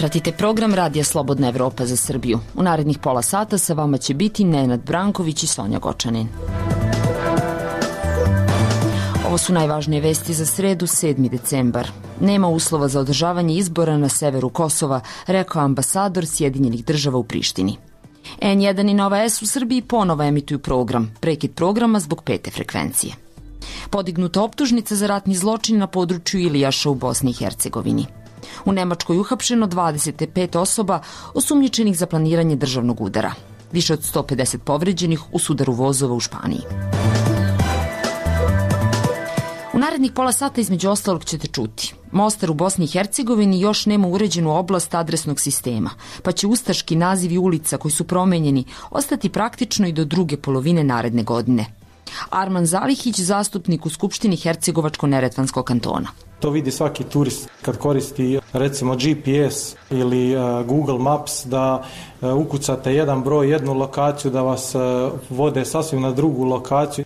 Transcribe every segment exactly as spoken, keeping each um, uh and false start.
Pratite program Radija Slobodna Evropa za Srbiju. U narednih pola sata sa vama će biti Nenad Branković i Sonja Gočanin. Ovo su najvažnije vesti za sredu, sedmi decembar. Nema uslova za održavanje izbora na severu Kosova, rekao ambasador Sjedinjenih država u Prištini. en jedan i Nova S u Srbiji ponovo emituju program, prekid programa zbog pete frekvencije. Podignuta optužnica za ratni zločin na području Ilijaša u Bosni i Hercegovini. U Nemačkoj uhapšeno dvadeset pet osoba osumnjičenih za planiranje državnog udara. Više od sto pedeset povređenih u sudaru vozova u Španiji. U narednih pola sata između ostalog ćete čuti. Mostar u Bosni i Hercegovini još nema uređenu oblast adresnog sistema, pa će ustaški nazivi ulica koji su promenjeni ostati praktično i do druge polovine naredne godine. Arman Zalihić, zastupnik u Skupštini Hercegovačko-Neretvanskog kantona. To vidi svaki turist kad koristi recimo G P S ili uh, Google Maps, da uh, ukucate jedan broj, jednu lokaciju, da vas uh, vode sasvim na drugu lokaciju.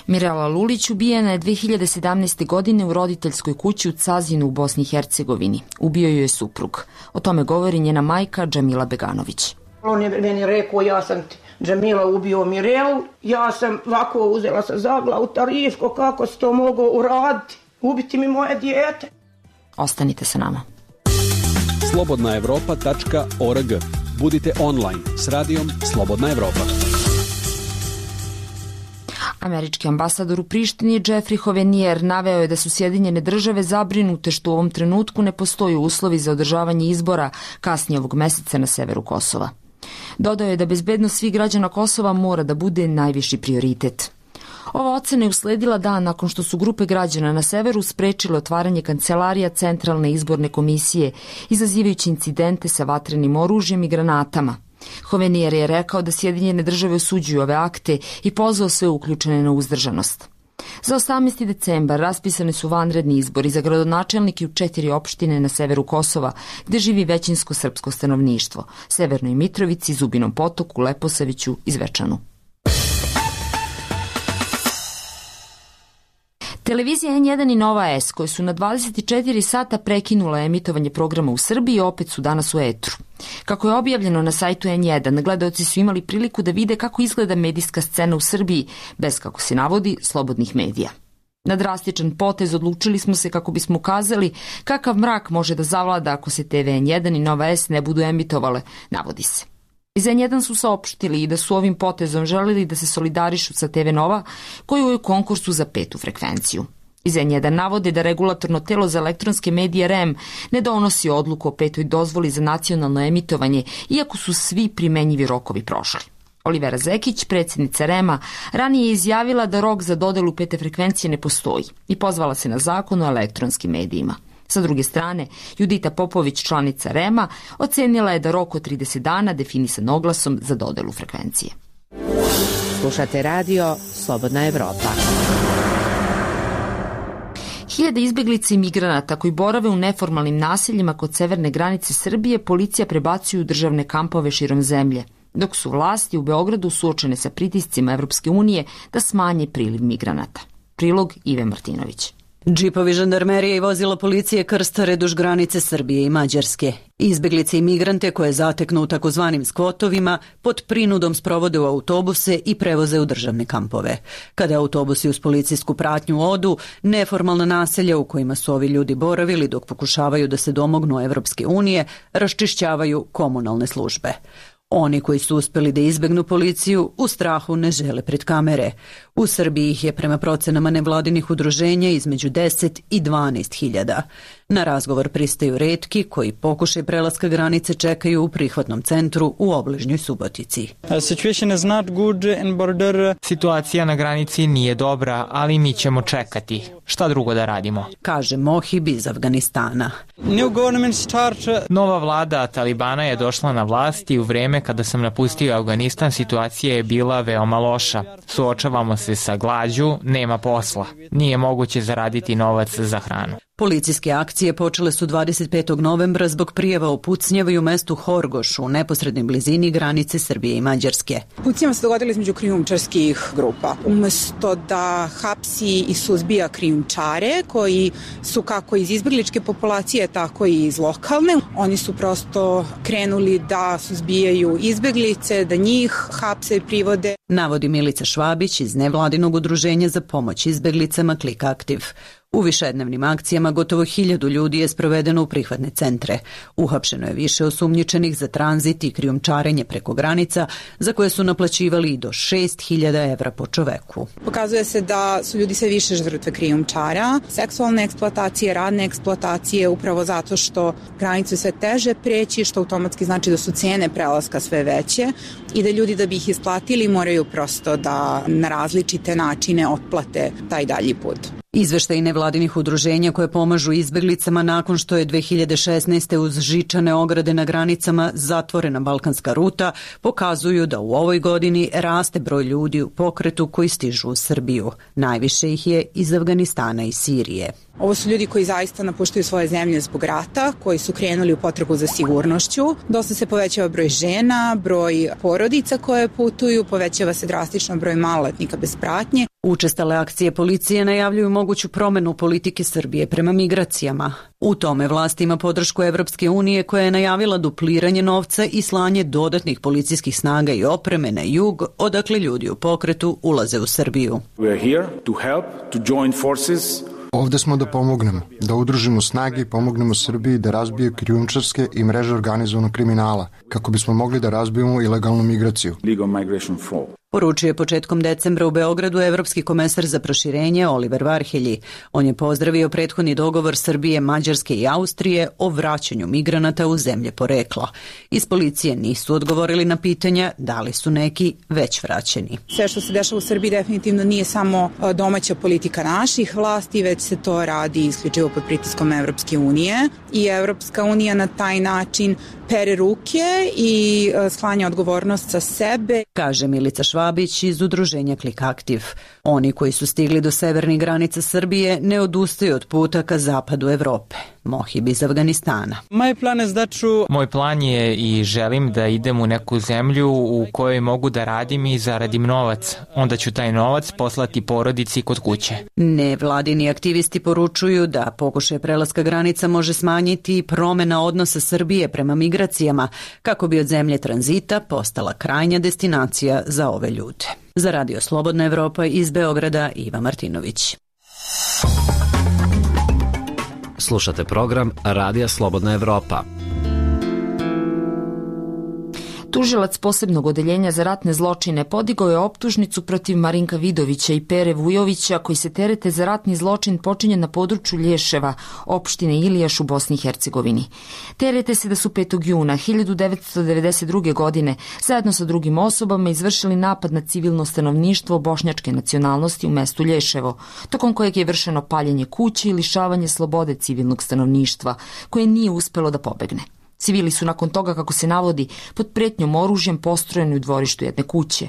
Mirela Lulić ubijena je dve hiljade sedamnaeste. godine u roditeljskoj kući u Cazinu u Bosni i Hercegovini. Ubio ju je suprug. O tome govori njena majka Džamila Beganović. On je meni rekao, ja sam ti Džamila ubio Mirelu, ja sam ovako uzela sa zaglavu Tarifko, kako si to mogao uraditi, ubiti mi moje dijete. Ostanite sa nama. slobodna evropa tačka org. Budite online s radijom Slobodna Evropa. Američki ambasador u Prištini Jeffrey Hovenier naveo je da su Sjedinjene države zabrinute što u ovom trenutku ne postoji uslovi za održavanje izbora kasnije ovog meseca na severu Kosova. Dodao je da bezbednost svih građana Kosova mora da bude najviši prioritet. Ova ocena je usledila dan nakon što su grupe građana na severu sprečile otvaranje kancelarija Centralne izborne komisije, izazivajući incidente sa vatrenim oružjem i granatama. Hovenier je rekao da Sjedinjene države osuđuju ove akte i pozvao sve uključene na uzdržanost. Za osamnaesti decembar raspisane su vanredni izbori za gradonačelnike u četiri opštine na severu Kosova, gde živi većinsko srpsko stanovništvo, Severnoj Mitrovici, Zubinom Potoku, Leposaviću i Zvečanu. Televizija en jedan i Nova S, koje su na dvadeset četiri sata prekinula emitovanje programa u Srbiji, opet su danas u etru. Kako je objavljeno na sajtu en jedan, gledaoci su imali priliku da vide kako izgleda medijska scena u Srbiji, bez, kako se navodi, slobodnih medija. Na drastičan potez odlučili smo se kako bismo ukazali kakav mrak može da zavlada ako se te ve en jedan i Nova S ne budu emitovale, navodi se. Iz en jedan su saopštili i da su ovim potezom želeli da se solidarišu sa te ve Nova, koji je u konkursu za petu frekvenciju. Iz en jedan navode da regulatorno telo za elektronske medije er e em ne donosi odluku o petoj dozvoli za nacionalno emitovanje, iako su svi primenjivi rokovi prošli. Olivera Zekić, predsjednica er e em-a, ranije je izjavila da rok za dodelu pete frekvencije ne postoji i pozvala se na zakon o elektronskim medijima. Sa druge strane, Judita Popović, članica er e em-a, ocenila je da rok od trideset dana definisan oglasom za dodelu frekvencije. Slušate radio Slobodna Evropa. Hiljade izbeglica i migranata koji borave u neformalnim naseljima kod severne granice Srbije policija prebacuju u državne kampove širom zemlje, dok su vlasti u Beogradu suočene sa pritiscima Evropske unije da smanje priliv migranata. Prilog Ive Martinović. Džipovi žandarmerije i vozila policije krstare duž granice Srbije i Mađarske. Izbeglice i migrante koje zateknu u takozvanim skvotovima pod prinudom sprovode u autobuse i prevoze u državne kampove. Kada autobusi uz policijsku pratnju odu, neformalna naselja u kojima su ovi ljudi boravili dok pokušavaju da se domognu Evropske unije raščišćavaju komunalne službe. Oni koji su uspeli da izbegnu policiju u strahu ne žele pred kamere. U Srbiji ih je prema procenama nevladinih udruženja između deset i dvanaest hiljada. Na razgovor pristaju retki koji pokušaj prelaska granice čekaju u prihvatnom centru u obližnjoj Subotici. Situacija na granici nije dobra, ali mi ćemo čekati. Šta drugo da radimo? Kaže Mohib iz Afganistana. Nova vlada Talibana je došla na vlast i u vreme kada sam napustio Afganistan situacija je bila veoma loša. Suočavamo se sa glađu, nema posla. Nije moguće zaraditi novac za hranu. Policijske akcije počele su dvadeset petog novembra zbog prijava o pucnjavi u mestu Horgoš u neposrednoj blizini granice Srbije i Mađarske. Pucnjava se dogodila između krijumčarskih grupa. Umesto da hapsi i suzbija krijumčare koji su kako iz izbegličke populacije, tako i iz lokalne, oni su prosto krenuli da suzbijaju izbeglice, da njih hapse i privode. Navodi Milica Švabić iz nevladinog udruženja za pomoć izbeglicama Click Active. U višednevnim akcijama gotovo hiljadu ljudi je sprovedeno u prihvatne centre. Uhapšeno je više osumnjičenih za tranzit i krijumčarenje preko granica, za koje su naplaćivali i do šest hiljada evra po čoveku. Pokazuje se da su ljudi sve više žrtve krijumčara, seksualne eksploatacije, radne eksploatacije, upravo zato što granicu sve teže preći, što automatski znači da su cene prelaska sve veće i da ljudi da bi ih isplatili moraju prosto da na različite načine otplate taj dalji put. Izveštaji nevladinih udruženja koje pomažu izbeglicama nakon što je dve hiljade šesnaeste uz žičane ograde na granicama zatvorena balkanska ruta pokazuju da u ovoj godini raste broj ljudi u pokretu koji stižu u Srbiju. Najviše ih je iz Afganistana i Sirije. Ovo su ljudi koji zaista napuštaju svoje zemlje zbog rata, koji su krenuli u potragu za sigurnošću. Dosta se povećava broj žena, broj porodica koje putuju, povećava se drastično broj maloletnika bez pratnje. Učestale akcije policije najavljuju moguću promenu politike Srbije prema migracijama. U tome vlast ima podršku Evropske unije koja je najavila dupliranje novca i slanje dodatnih policijskih snaga i opreme na jug, odakle ljudi u pokretu ulaze u Srbiju. We are here to help, to join forces. Ovde smo da pomognemo, da udružimo snage i pomognemo Srbiji da razbije krijumčarske i mreže organizovanog kriminala, kako bismo mogli da razbijemo ilegalnu migraciju. Legal migration flow. Poručio je početkom decembra u Beogradu evropski komesar za proširenje Oliver Varhelji. On je pozdravio prethodni dogovor Srbije, Mađarske i Austrije o vraćanju migranata u zemlje porekla. Iz policije nisu odgovorili na pitanja da li su neki već vraćeni. Sve što se dešava u Srbiji definitivno nije samo domaća politika naših vlasti, već se to radi isključivo pod pritiskom Evropske unije i Evropska unija na taj način pere ruke i sklanja odgovornost sa sebe. Kaže Milica Švabić iz udruženja Click Active. Oni koji su stigli do severnih granica Srbije ne odustaju od puta ka zapadu Evrope. Mohib iz Afganistana. Moj plan je da ću... Moj plan je i želim da idem u neku zemlju u kojoj mogu da radim i zaradim novac. Onda ću taj novac poslati porodici kod kuće. Nevladini aktivisti poručuju da pokušaj prelaska granica može smanjiti promena odnosa Srbije prema migracijama, kako bi od zemlje tranzita postala krajnja destinacija za ove ljude. Za Radio Slobodna Evropa iz Beograda, Iva Martinović. Slušate program Radija Slobodna Evropa. Tužilac posebnog odeljenja za ratne zločine podigao je optužnicu protiv Marinka Vidovića i Pere Vujovića koji se terete za ratni zločin počinjen na području Lješeva, opštine Ilijaš u Bosni i Hercegovini. Terete se da su petog juna hiljadu devetsto devedeset druge. godine zajedno sa drugim osobama izvršili napad na civilno stanovništvo bošnjačke nacionalnosti u mestu Lješevo, tokom kojeg je vršeno paljenje kuće i lišavanje slobode civilnog stanovništva, koje nije uspelo da pobegne. Civili su nakon toga, kako se navodi, pod pretnjom oružjem postrojeni u dvorištu jedne kuće.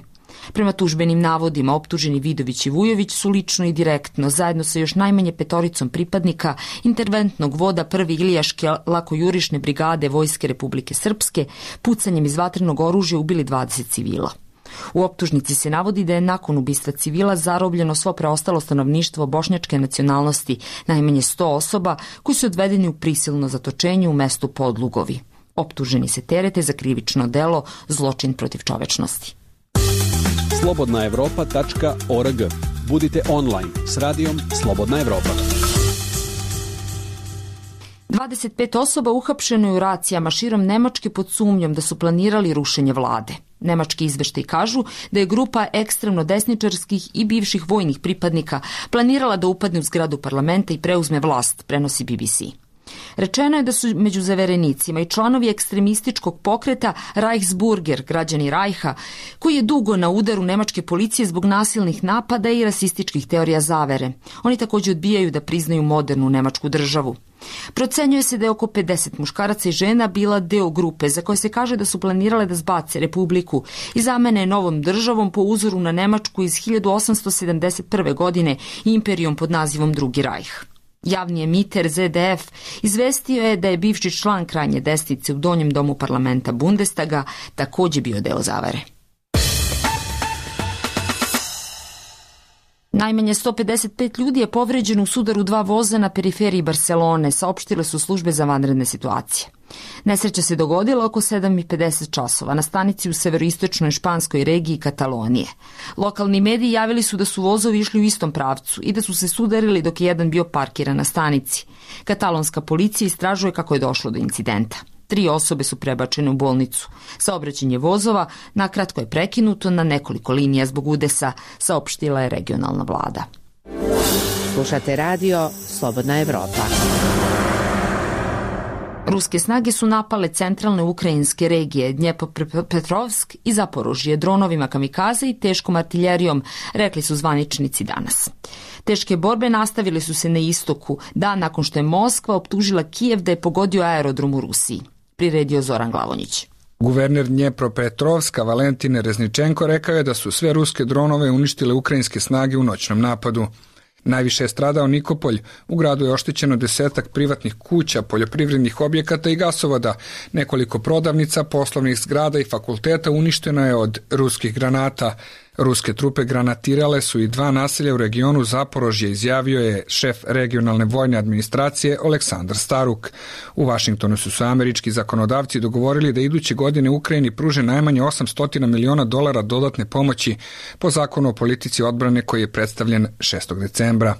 Prema tužbenim navodima, optuženi Vidović i Vujović su lično i direktno, zajedno sa još najmanje petoricom pripadnika interventnog voda prve Ilijaške lakojurišne brigade Vojske Republike Srpske, pucanjem iz vatrenog oružja ubili dvadeset civila. U optužnici se navodi da je nakon ubistva civila zarobljeno svo preostalo stanovništvo bošnjačke nacionalnosti, najmanje sto osoba koji su odvedeni u prisilno zatočenje u mestu Podlugovi. Optuženi se terete za krivično delo zločin protiv čovečnosti. slobodna evropa tačka org. Budite online s radijom Slobodna Evropa. dvadeset pet osoba uhapšeno je u racijama širom Nemačke pod sumnjom da su planirali rušenje vlade. Nemački izveštaji kažu da je grupa ekstremno desničarskih i bivših vojnih pripadnika planirala da upadne u zgradu parlamenta i preuzme vlast, prenosi B B C. Rečeno je da su među zaverenicima i članovi ekstremističkog pokreta Reichsburger, građani Rajha, koji je dugo na udaru nemačke policije zbog nasilnih napada i rasističkih teorija zavere. Oni također odbijaju da priznaju modernu nemačku državu. Procenjuje se da je oko pedeset muškaraca i žena bila deo grupe za koje se kaže da su planirale da zbace republiku i zamene novom državom po uzoru na Nemačku iz hiljadu osamsto sedamdeset prve. godine i imperijom pod nazivom Drugi Rajh. Javni emiter Z D F izvestio je da je bivši član krajnje desnice u donjem domu parlamenta Bundestaga takođe bio deo zavere. Najmanje sto pedeset pet ljudi je povređeno u sudaru dva voza na periferiji Barcelone, saopštile su službe za vanredne situacije. Nesreća se dogodila oko sedam i pedeset časova na stanici u severoistočnoj španskoj regiji Katalonije. Lokalni mediji javili su da su vozovi išli u istom pravcu i da su se sudarili dok je jedan bio parkiran na stanici. Katalonska policija istražuje kako je došlo do incidenta. Tri osobe su prebačene u bolnicu. Saobraćanje vozova nakratko je prekinuto na nekoliko linija zbog udesa, saopštila je regionalna vlada. Slušate radio Slobodna Evropa. Ruske snage su napale centralne ukrajinske regije Dnjepropetrovsk i Zaporožje dronovima kamikaze i teškom artiljerijom, rekli su zvaničnici danas. Teške borbe nastavile su se na istoku, dan nakon što je Moskva optužila Kijev da je pogodio aerodrom u Rusiji. Priredio Zoran Glavonjić. Guverner Dnjepropetrovska Valentin Rezničenko rekao je da su sve ruske dronove uništile ukrajinske snage u noćnom napadu. Najviše je stradao Nikopolj, u gradu je oštećeno desetak privatnih kuća, poljoprivrednih objekata i gasovoda, nekoliko prodavnica, poslovnih zgrada i fakulteta uništeno je od ruskih granata. Ruske trupe granatirale su i dva naselja u regionu Zaporožje, izjavio je šef regionalne vojne administracije Aleksandar Staruk. U Vašingtonu su se američki zakonodavci dogovorili da iduće godine Ukrajini pruže najmanje osamsto miliona dolara dodatne pomoći po zakonu o politici odbrane koji je predstavljen šestog decembra.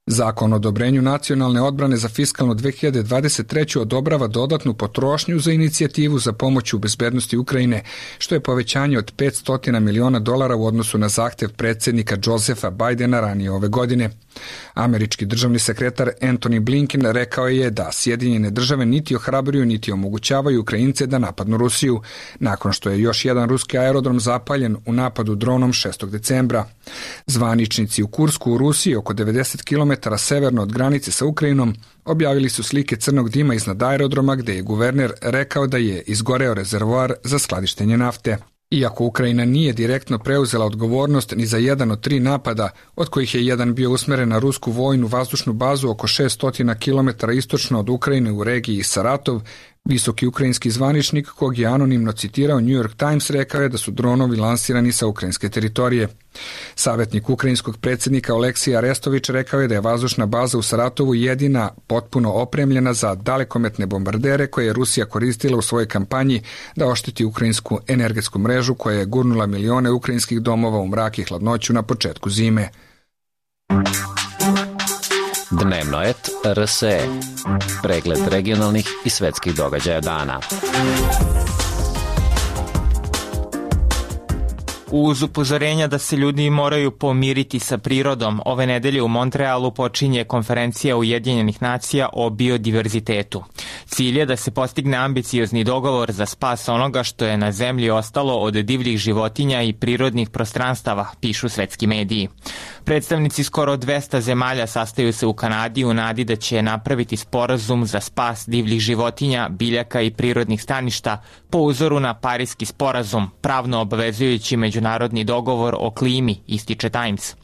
Zakon o odobrenju nacionalne odbrane za fiskalnu dve hiljade dvadeset treću odobrava dodatnu potrošnju za inicijativu za pomoć u bezbednosti Ukrajine, što je povećanje od petsto miliona dolara u odnosu na zahtev predsjednika Josefa Bajdena ranije ove godine. Američki državni sekretar Antony Blinken rekao je da Sjedinjene države niti ohrabruju niti omogućavaju Ukrajince da napadnu Rusiju, nakon što je još jedan ruski aerodrom zapaljen u napadu dronom šestog decembra. Zvaničnici u Kursku u Rusiji, oko devedeset kilometara severno od granice sa Ukrajinom, objavili su slike crnog dima iznad aerodroma gde je guverner rekao da je izgoreo rezervoar za skladištenje nafte. Iako Ukrajina nije direktno preuzela odgovornost ni za jedan od tri napada, od kojih je jedan bio usmeren na rusku vojnu vazdušnu bazu oko šesto kilometara istočno od Ukrajine u regiji Saratov, visoki ukrajinski zvaničnik, kog je anonimno citirao New York Times, rekao je da su dronovi lansirani sa ukrajinske teritorije. Savjetnik ukrajinskog predsjednika Oleksija Arestović rekao je da je vazdušna baza u Saratovu jedina potpuno opremljena za dalekometne bombardere koje je Rusija koristila u svojoj kampanji da ošteti ukrajinsku energetsku mrežu koja je gurnula milione ukrajinskih domova u mrak i hladnoću na početku zime. Dnevnoet R S E. Pregled regionalnih i svetskih događaja dana. Uz upozorenja da se ljudi moraju pomiriti sa prirodom, ove nedelje u Montrealu počinje konferencija Ujedinjenih nacija o biodiverzitetu. Cilj je da se postigne ambiciozni dogovor za spas onoga što je na zemlji ostalo od divljih životinja i prirodnih prostranstava, pišu svetski mediji. Predstavnici skoro dvesta zemalja sastaju se u Kanadi u nadi da će napraviti sporazum za spas divljih životinja, biljaka i prirodnih staništa po uzoru na Pariski sporazum, pravno obavezujući međunarodni dogovor o klimi, ističe Times.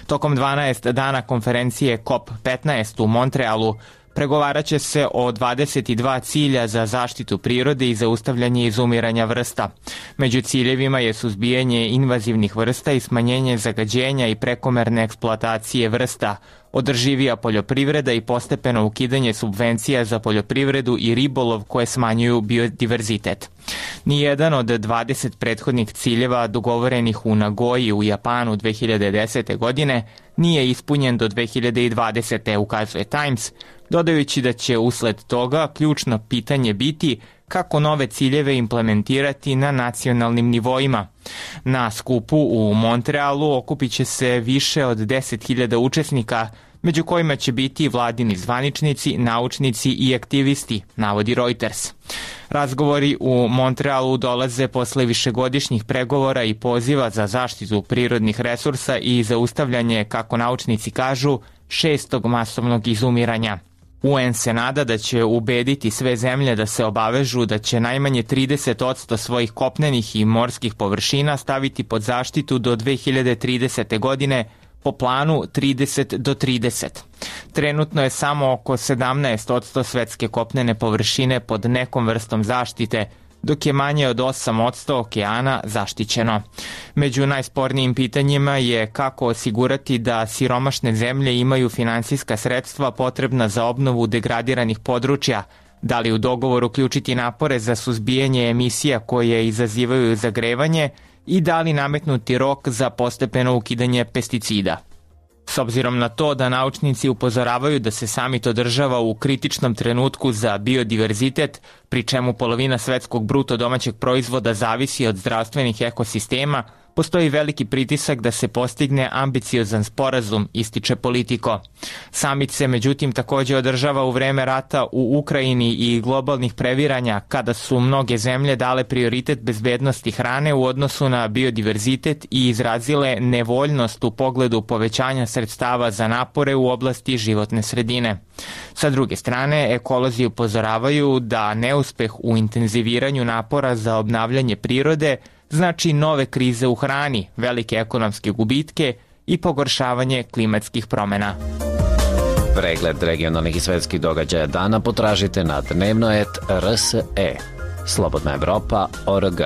Tokom dvanaest dana konferencije C O P petnaest u Montrealu pregovarat će se o dvadeset dva cilja za zaštitu prirode i zaustavljanje izumiranja vrsta. Među ciljevima je suzbijanje invazivnih vrsta i smanjenje zagađenja i prekomerne eksploatacije vrsta, održivija poljoprivreda i postepeno ukidanje subvencija za poljoprivredu i ribolov koje smanjuju biodiverzitet. Nijedan od dvadeset prethodnih ciljeva dogovorenih u Nagoji u Japanu dve hiljade desete. godine nije ispunjen do dve hiljade dvadesete. ukazuje Times, dodajući da će usled toga ključno pitanje biti kako nove ciljeve implementirati na nacionalnim nivoima. Na skupu u Montrealu okupit će se više od deset hiljada učesnika, među kojima će biti vladini zvaničnici, naučnici i aktivisti, navodi Reuters. Razgovori u Montrealu dolaze posle višegodišnjih pregovora i poziva za zaštitu prirodnih resursa i zaustavljanje, kako naučnici kažu, šestog masovnog izumiranja. U N se nada da će ubediti sve zemlje da se obavežu da će najmanje trideset posto svojih kopnenih i morskih površina staviti pod zaštitu do dve hiljade tridesete. godine po planu trideset do trideset. Trenutno je samo oko sedamnaest posto svetske kopnene površine pod nekom vrstom zaštite, dok je manje od osam posto okeana zaštićeno. Među najspornijim pitanjima je kako osigurati da siromašne zemlje imaju finansijska sredstva potrebna za obnovu degradiranih područja, da li u dogovor uključiti napore za suzbijanje emisija koje izazivaju zagrevanje i da li nametnuti rok za postepeno ukidanje pesticida. S obzirom na to da naučnici upozoravaju da se samit održava u kritičnom trenutku za biodiverzitet, pri čemu polovina svetskog bruto domaćeg proizvoda zavisi od zdravstvenih ekosistema, postoji veliki pritisak da se postigne ambiciozan sporazum, ističe Politico. Samit se međutim takođe održava u vreme rata u Ukrajini i globalnih previranja, kada su mnoge zemlje dale prioritet bezbednosti hrane u odnosu na biodiverzitet i izrazile nevoljnost u pogledu povećanja sredstava za napore u oblasti životne sredine. Sa druge strane, ekolozi upozoravaju da neuspeh u intenziviranju napora za obnavljanje prirode znači nove krize u hrani, velike ekonomske gubitke i pogoršavanje klimatskih promena. Pregled regionalnih i svetskih događaja dana potražite na dnevnoet R S E. Slobodna Evropa tačka org.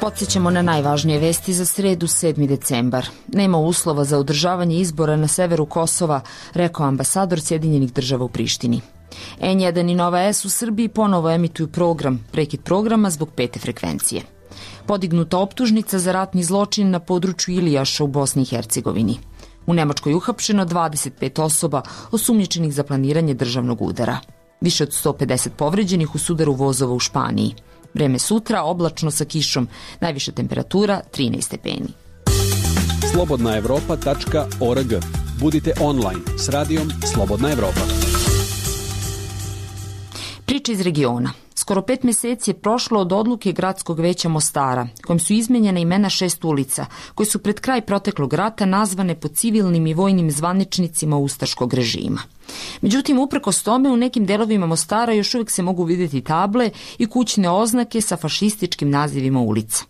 Podsjećamo na najvažnije vesti za sredu sedmi decembar. Nema uslova za održavanje izbora na severu Kosova, rekao ambasador Sjedinjenih država u Prištini. N jedan i Nova S u Srbiji ponovo emituju program, prekid programa zbog pete frekvencije. Podignuta optužnica za ratni zločin na području Ilijaša u Bosni i Hercegovini. U Nemačkoj uhapšeno dvadeset pet osoba osumnjičenih za planiranje državnog udara. Više od sto pedeset povređenih u sudaru vozova u Španiji. Vreme sutra oblačno sa kišom, najviša temperatura trinaest stepeni. slobodna evropa tačka org. Budite online s radijom Slobodna Evropa. Priča iz regiona. Skoro pet meseci je prošlo od odluke Gradskog veća Mostara, kojim su izmenjene imena šest ulica, koje su pred kraj proteklog rata nazvane po civilnim i vojnim zvaničnicima ustaškog režima. Međutim, uprkos tome, u nekim delovima Mostara još uvijek se mogu vidjeti table i kućne oznake sa fašističkim nazivima ulica.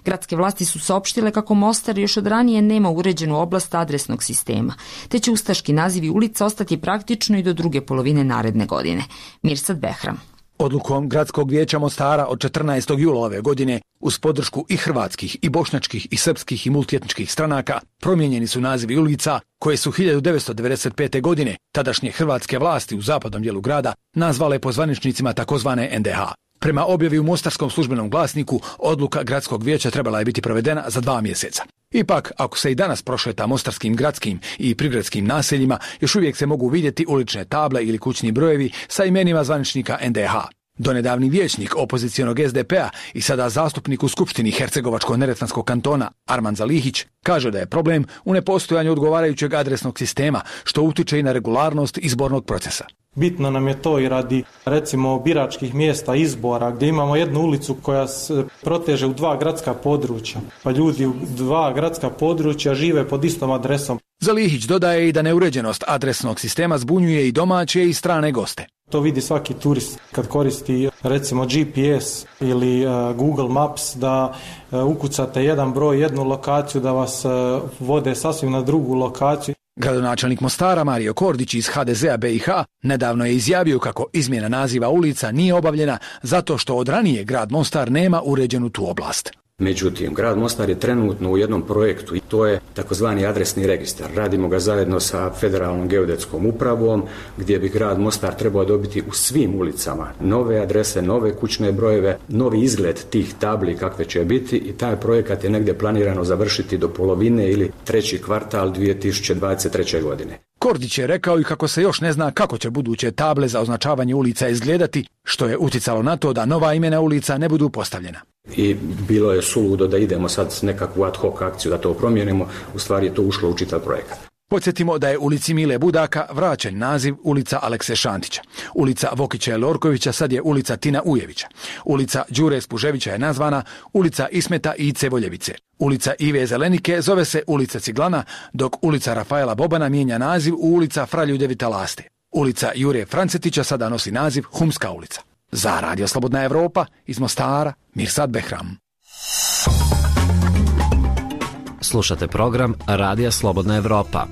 Gradske vlasti su saopštile kako Mostar još od ranije nema uređenu oblast adresnog sistema, te će ustaški nazivi ulica ostati praktično i do druge polovine naredne godine. Mirsad Behram. Odlukom Gradskog vijeća Mostara od četrnaestog jula ove godine, uz podršku i hrvatskih, i bošnjačkih, i srpskih, i multietničkih stranaka, promijenjeni su nazivi ulica koje su hiljadu devetsto devedeset pete. godine tadašnje hrvatske vlasti u zapadnom dijelu grada nazvale po zvaničnicima takozvane N D H. Prema objavi u Mostarskom službenom glasniku, odluka Gradskog vijeća trebala je biti provedena za dva mjeseca. Ipak, ako se i danas prošeta mostarskim gradskim i prigradskim naseljima, još uvijek se mogu vidjeti ulične table ili kućni brojevi sa imenima zvaničnika N D H. Donedavni vijećnik opozicijonog S D P-a i sada zastupnik u Skupštini Hercegovačko-neretvanskog kantona Arman Zalihić kaže da je problem u nepostojanju odgovarajućeg adresnog sistema, što utiče i na regularnost izbornog procesa. Bitno nam je to i radi, recimo, biračkih mjesta izbora, gdje imamo jednu ulicu koja se proteže u dva gradska područja, pa ljudi u dva gradska područja žive pod istom adresom. Zalihić dodaje i da neuređenost adresnog sistema zbunjuje i domaće i strane goste. To vidi svaki turist kad koristi recimo G P S ili uh, Google Maps, da uh, ukucate jedan broj, jednu lokaciju, da vas uh, vode sasvim na drugu lokaciju. Gradonačelnik Mostara Mario Kordić iz H D Z-a B i H nedavno je izjavio kako izmjena naziva ulica nije obavljena zato što od ranije grad Mostar nema uređenu tu oblast. Međutim, grad Mostar je trenutno u jednom projektu i to je takozvani adresni registar. Radimo ga zajedno sa Federalnom geodetskom upravom, gdje bi grad Mostar trebao dobiti u svim ulicama nove adrese, nove kućne brojeve, novi izgled tih tabli kakve će biti, i taj projekat je negdje planirano završiti do polovine ili treći kvartal dvije tisuće dvadeset treće. godine. Kordić je rekao i kako se još ne zna kako će buduće table za označavanje ulica izgledati, što je uticalo na to da nova imena ulica ne budu postavljena. I bilo je suludo da idemo sad s nekakvu ad hoc akciju da to promijenimo, u stvari je to ušlo u čitav projekat. Podsjetimo da je ulici Mile Budaka vraćen naziv ulica Alekse Šantića. Ulica Vokića Lorkovića sad je ulica Tina Ujevića. Ulica Đure Spuževića je nazvana ulica Ismeta Ice Voljevice. Ulica Ive Zelenike zove se ulica Ciglana, dok ulica Rafaela Bobana mijenja naziv u ulica Fra Ljudevita Laste. Ulica Jure Francetića sada nosi naziv Humska ulica. Za Radio Slobodna Evropa iz Mostara, Mirsad Behram. Slušate program Radija Slobodna Evropa.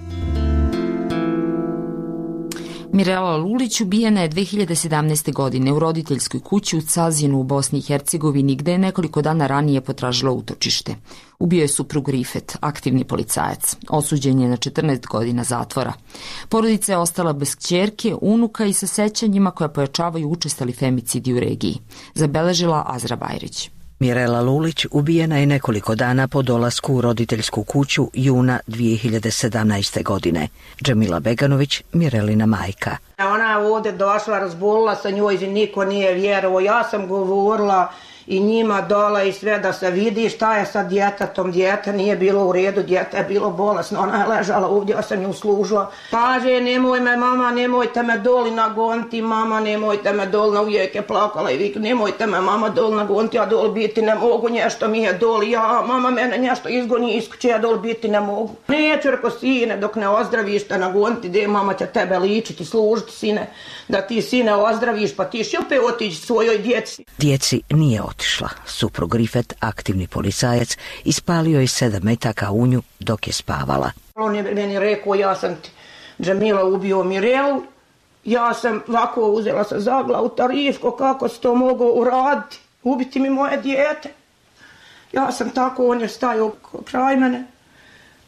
Mirela Lulić ubijena je dve hiljade sedamnaeste. godine u roditeljskoj kući u Cazinu u Bosni i Hercegovini, gde je nekoliko dana ranije potražila utočište. Ubio je suprug Rifet, aktivni policajac. Osuđen je na četrnaest godina zatvora. Porodica je ostala bez kćerke, unuka i sa sećanjima koja pojačavaju učestali femicidi u regiji. Zabeležila Azra Bajrić. Mirela Lulić ubijena je nekoliko dana po dolasku u roditeljsku kuću juna dve hiljade sedamnaeste. godine. Džemila Beganović, Mirelina majka. Ona je ovdje došla, razbolila sa njoj i niko nije vjerovao. Ja sam govorila i njima dola i sve da se vidi šta je sa djetetom. Djete nije bilo u redu, djete je bilo bolesno. Ona je ležala ovdje, ja sam ju služila. Kaže, nemoj me mama, nemojte me doli nagoniti, mama, nemojte me doli, uvijek je plakala i vik, nemojte me mama doli nagoniti, ja doli biti ne mogu, nešto mi je doli, ja, mama mene nešto izgoni iz kuće, ja doli biti ne mogu. Neću, reko, sine, dok ne ozdraviš te nagoniti, gdje mama će tebe ličiti, služiti, sine, da ti sine ozdraviš, pa ti še opet otići svojoj djeci. Djeci nije otišla. Suprug Rifet, aktivni policajac, ispalio je sedam metaka u nju dok je spavala. On je meni rekao, ja sam ti, Džemila, ubio Mirelu, ja sam ovako uzela sa zaglavu Tarifko, kako si to mogao uraditi, ubiti mi moje dijete. Ja sam tako, on je stajao kraj mene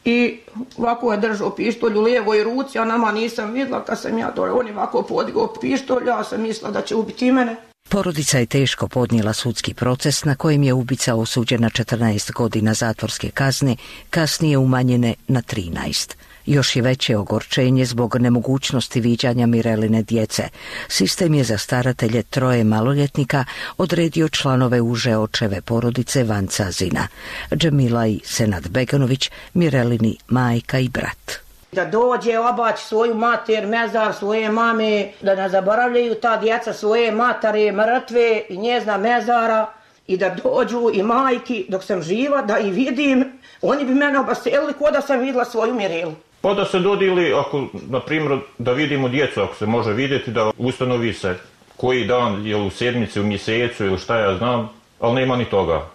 i ovako je držao pištolj u lijevoj ruci, a nama nisam vidjela kad sam ja to, on je ovako podigao pištolj, ja sam mislila da će ubiti mene. Porodica je teško podnijela sudski proces na kojem je ubica osuđen na četrnaest godina zatvorske kazne, kasnije umanjene na trinaest. Još je veće ogorčenje zbog nemogućnosti viđanja Mireline djece. Sistem je za staratelje troje maloljetnika odredio članove uže očeve porodice van Cazina. Džemila i Senad Beganović, Mirelini majka i brat. Da dođe obaći svoju mater, mezar svoje mame, da ne zaboravljaju ta djeca svoje matare, mrtve i njezna mezara i da dođu i majki dok sam živa, da i vidim, oni bi mene obaselili ko da sam vidjela svoju Mirelu. Pa da se dodili, ako, na primjer, da vidimo djecu, ako se može vidjeti, da ustanovi se koji dan, je u sedmici, u mjesecu ili šta ja znam, ali nema ni toga.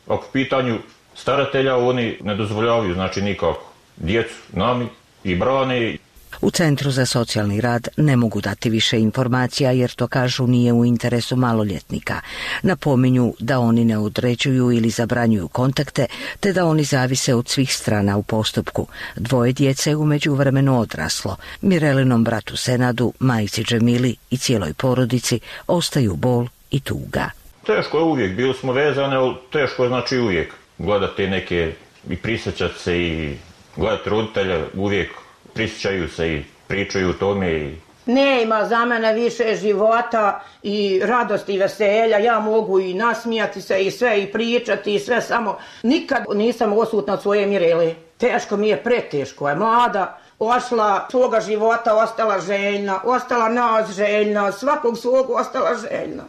Ako pitanju staratelja, oni ne dozvoljavaju, znači nikako. Djecu, nami, i brane. U Centru za socijalni rad ne mogu dati više informacija jer to kažu nije u interesu maloljetnika. Napominju da oni ne određuju ili zabranjuju kontakte, te da oni zavise od svih strana u postupku. Dvoje djece je u međuvremenu odraslo. Mirelinom bratu Senadu, majici Džemili i cijeloj porodici ostaju bol i tuga. Teško je uvijek, bili smo vezane, ali teško je znači uvijek. Gledati neke i prisjećati se i gledati roditelja, uvijek prisjećaju se i pričaju o tome. I... Ne ima za mene više života i radosti i veselja, ja mogu i nasmijati se i sve i pričati i sve, samo nikad nisam osutna od svoje Mirele. Teško mi je, preteško je, mlada, ošla svoga života, ostala željna, ostala nas željna, svakog svog ostala željna.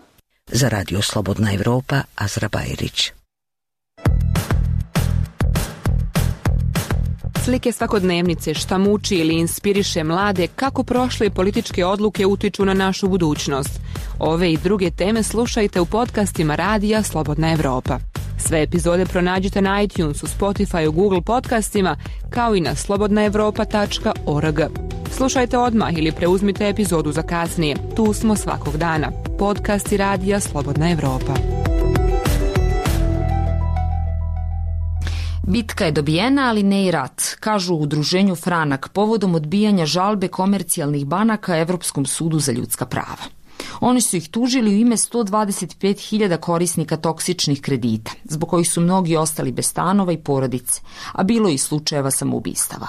Za Radio Slobodna Evropa, Azra Bajrić. Slike svakodnevnice, šta muči ili inspiriše mlade, kako prošle političke odluke utiču na našu budućnost. Ove i druge teme slušajte u podcastima Radija Slobodna Evropa. Sve epizode pronađite na iTunesu, Spotify, Google podcastima, kao i na slobodna evropa tačka org. Slušajte odmah ili preuzmite epizodu za kasnije. Tu smo svakog dana. Podcasti Radija Slobodna Evropa. Bitka je dobijena, ali ne i rat, kažu u udruženju Franak povodom odbijanja žalbe komercijalnih banaka Evropskom sudu za ljudska prava. Oni su ih tužili u ime sto dvadeset pet hiljada korisnika toksičnih kredita, zbog kojih su mnogi ostali bez stanova i porodice, a bilo je i slučajeva samoubistava.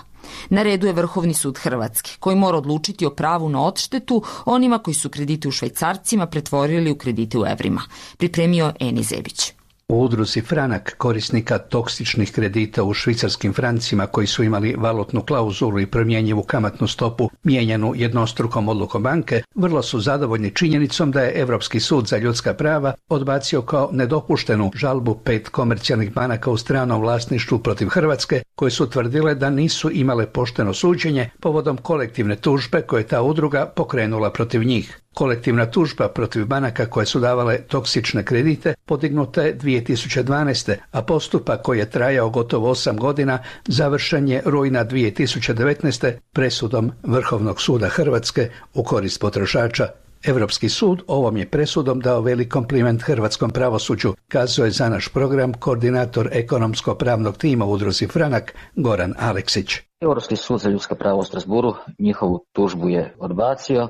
Na redu je Vrhovni sud Hrvatske, koji mora odlučiti o pravu na odštetu onima koji su kredite u švajcarcima pretvorili u kredite u evrima. Pripremio Eni Zebić. U udruzi Franak, korisnika toksičnih kredita u švicarskim francima koji su imali valutnu klauzulu i promjenjivu kamatnu stopu mijenjanu jednostrukom odlukom banke, vrlo su zadovoljni činjenicom da je Evropski sud za ljudska prava odbacio kao nedopuštenu žalbu pet komercijalnih banaka u stranom vlasništvu protiv Hrvatske, koje su tvrdile da nisu imale pošteno suđenje povodom kolektivne tužbe koje ta udruga pokrenula protiv njih. Kolektivna tužba protiv banaka koje su davale toksične kredite podignuta je dvije tisuće dvanaeste. a postupak koji je trajao gotovo osam godina završen je rujna dvije tisuće devetnaeste. presudom Vrhovnog suda Hrvatske u korist potrošača. Evropski sud ovom je presudom dao velik kompliment hrvatskom pravosuđu, kazao je za naš program koordinator ekonomsko-pravnog tima u udruzi Franak Goran Aleksić. Europski sud za ljudska prava u Strasburu njihovu tužbu je odbacio,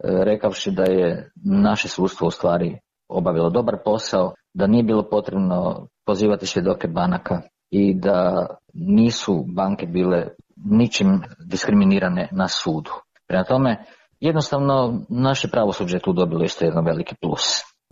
rekavši da je naše sudstvo u stvari obavilo dobar posao, da nije bilo potrebno pozivati svjedoke banaka i da nisu banke bile ničim diskriminirane na sudu. Prema tome, jednostavno naše pravosuđe je tu dobilo isto jedan veliki plus.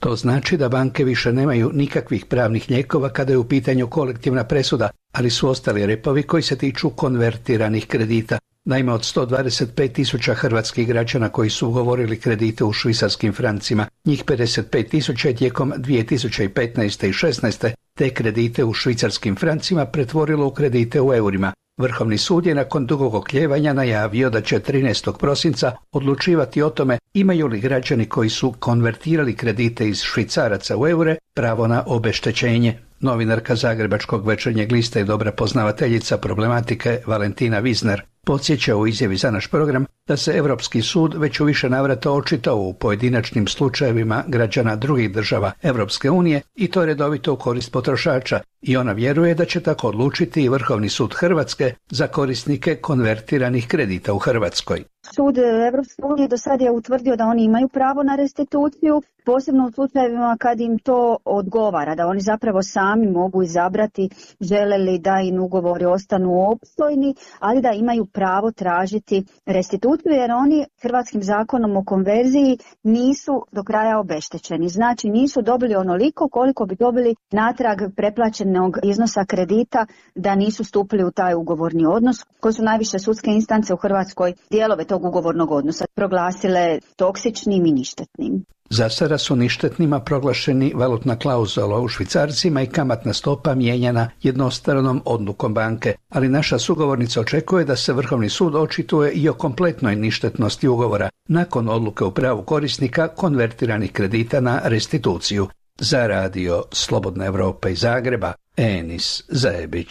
To znači da banke više nemaju nikakvih pravnih lijekova kada je u pitanju kolektivna presuda, ali su ostali repovi koji se tiču konvertiranih kredita. Naime, od sto dvadeset pet tisuća hrvatskih građana koji su ugovorili kredite u švicarskim francima, njih pedeset pet tisuća je tijekom dvije tisuće petnaeste i šesnaeste te kredite u švicarskim francima pretvorilo u kredite u eurima. Vrhovni sud je nakon dugog okljevanja najavio da će trinaestog prosinca odlučivati o tome imaju li građani koji su konvertirali kredite iz švicaraca u eure pravo na obeštećenje. Novinarka Zagrebačkog Večernjeg lista i dobra poznavateljica problematike Valentina Vizner podsjeća u izjavi za naš program da se Europski sud već u više navrata očitao u pojedinačnim slučajevima građana drugih država Europske unije i to redovito u korist potrošača i ona vjeruje da će tako odlučiti i Vrhovni sud Hrvatske za korisnike konvertiranih kredita u Hrvatskoj. Sud Evropske unije do sad je utvrdio da oni imaju pravo na restituciju, posebno u slučajevima kad im to odgovara, da oni zapravo sami mogu izabrati žele li da im ugovori ostanu opstojni, ali da imaju pravo tražiti restituciju jer oni hrvatskim zakonom o konverziji nisu do kraja obeštećeni. Znači nisu dobili onoliko koliko bi dobili natrag preplaćenog iznosa kredita da nisu stupili u taj ugovorni odnos, koji su najviše sudske instance u Hrvatskoj dijelove tog ugovornog odnosa proglasile toksičnim i ništetnim. Za sada su ništetnima proglašeni valutna klauzula u švicarcima i kamatna stopa mijenjana jednostranom odlukom banke, ali naša sugovornica očekuje da se Vrhovni sud očituje i o kompletnoj ništetnosti ugovora nakon odluke u pravu korisnika konvertiranih kredita na restituciju. Za radio Slobodna Evropa iz Zagreba, Enis Zajebić.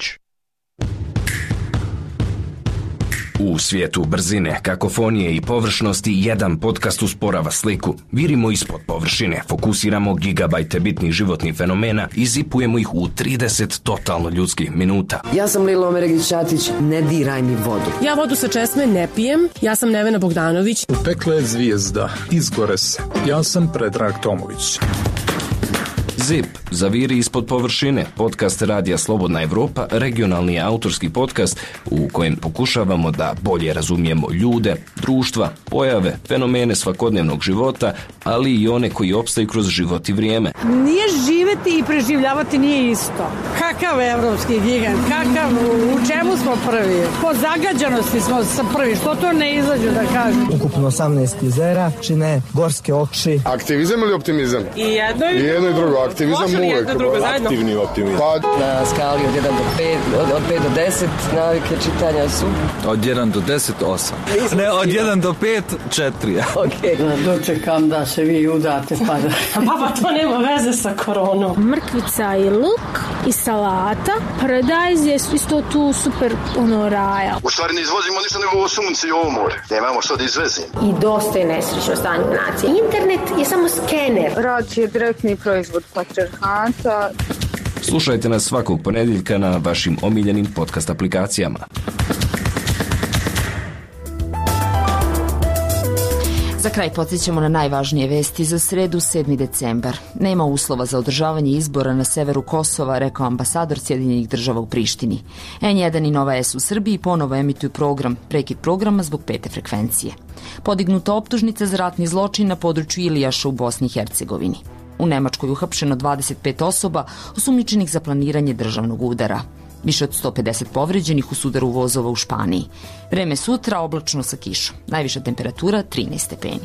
U svijetu brzine, kakofonije i površnosti jedan podcast usporava sliku. Virimo ispod površine, fokusiramo gigabajte bitnih životnih fenomena i zipujemo ih u trideset totalno ljudskih minuta. Ja sam Lilo Omeregić-Ćatić, ne diraj mi vodu. Ja vodu sa česme ne pijem, ja sam Nevena Bogdanović. U pekle je zvijezda, izgore se. Ja sam Predrag Tomović. Zip, zaviri ispod površine, podcast Radija Slobodna Evropa, regionalni autorski podcast u kojem pokušavamo da bolje razumijemo ljude, društva, pojave, fenomene svakodnevnog života, ali i one koji opstaju kroz život i vrijeme. Nije živeti i preživljavati nije isto. Kakav evropski gigant, kakav, u čemu smo prvi? Po zagađanosti smo sa prvi, što to ne izađu da kažu? Ukupno osamnaest jezera, čine gorske oči. Aktivizam ili optimizam? I jedno i, I jedno i drugo. Aktivizam uvijek. Aktivni optimizam. Pa... Na skali od jedan do pet, od, od pet do deset navike čitanja su? Od jedan do deset, osam. Ne, od jedan do pet, četiri. Ok. Dočekam da se vi udate pa da... Papa, to nema veze sa koronom. Mrkvica i luk i salata. Paradajz je isto tu super ono raja. U stvari ne izvozimo ništa nego ovo sunce i ovo more. Nemamo što da izvezimo. I dosta je nesrećno stanje u naciji. Internet je samo skener. Rad je direktni proizvod patriarhata. Slušajte nas svakog ponedjeljka na vašim omiljenim podcast aplikacijama. Za kraj podsjećamo na najvažnije vesti za sredu sedmi decembar. Nema uslova za održavanje izbora na severu Kosova, rekao ambasador Sjedinjenih država u Prištini. en jedan i Nova S u Srbiji ponovo emituju program, prekid programa zbog pete frekvencije. Podignuta optužnica za ratni zločin na području Ilijaša u Bosni i Hercegovini. U Nemačkoj uhapšeno dvadeset pet osoba osumnjičenih za planiranje državnog udara. Više od sto pedeset povređenih u sudaru vozova u Španiji. Vreme sutra oblačno sa kišom. Najviša temperatura trinaest stepeni.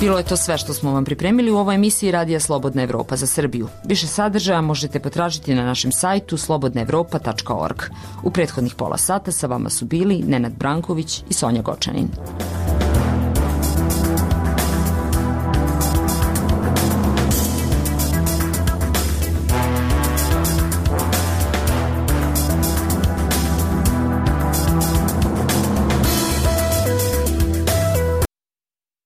Bilo je to sve što smo vam pripremili u ovoj emisiji Radija Slobodna Evropa za Srbiju. Više sadržaja možete potražiti na našem sajtu slobodna evropa tačka org. U prethodnih pola sata sa vama su bili Nenad Branković i Sonja Gočanin.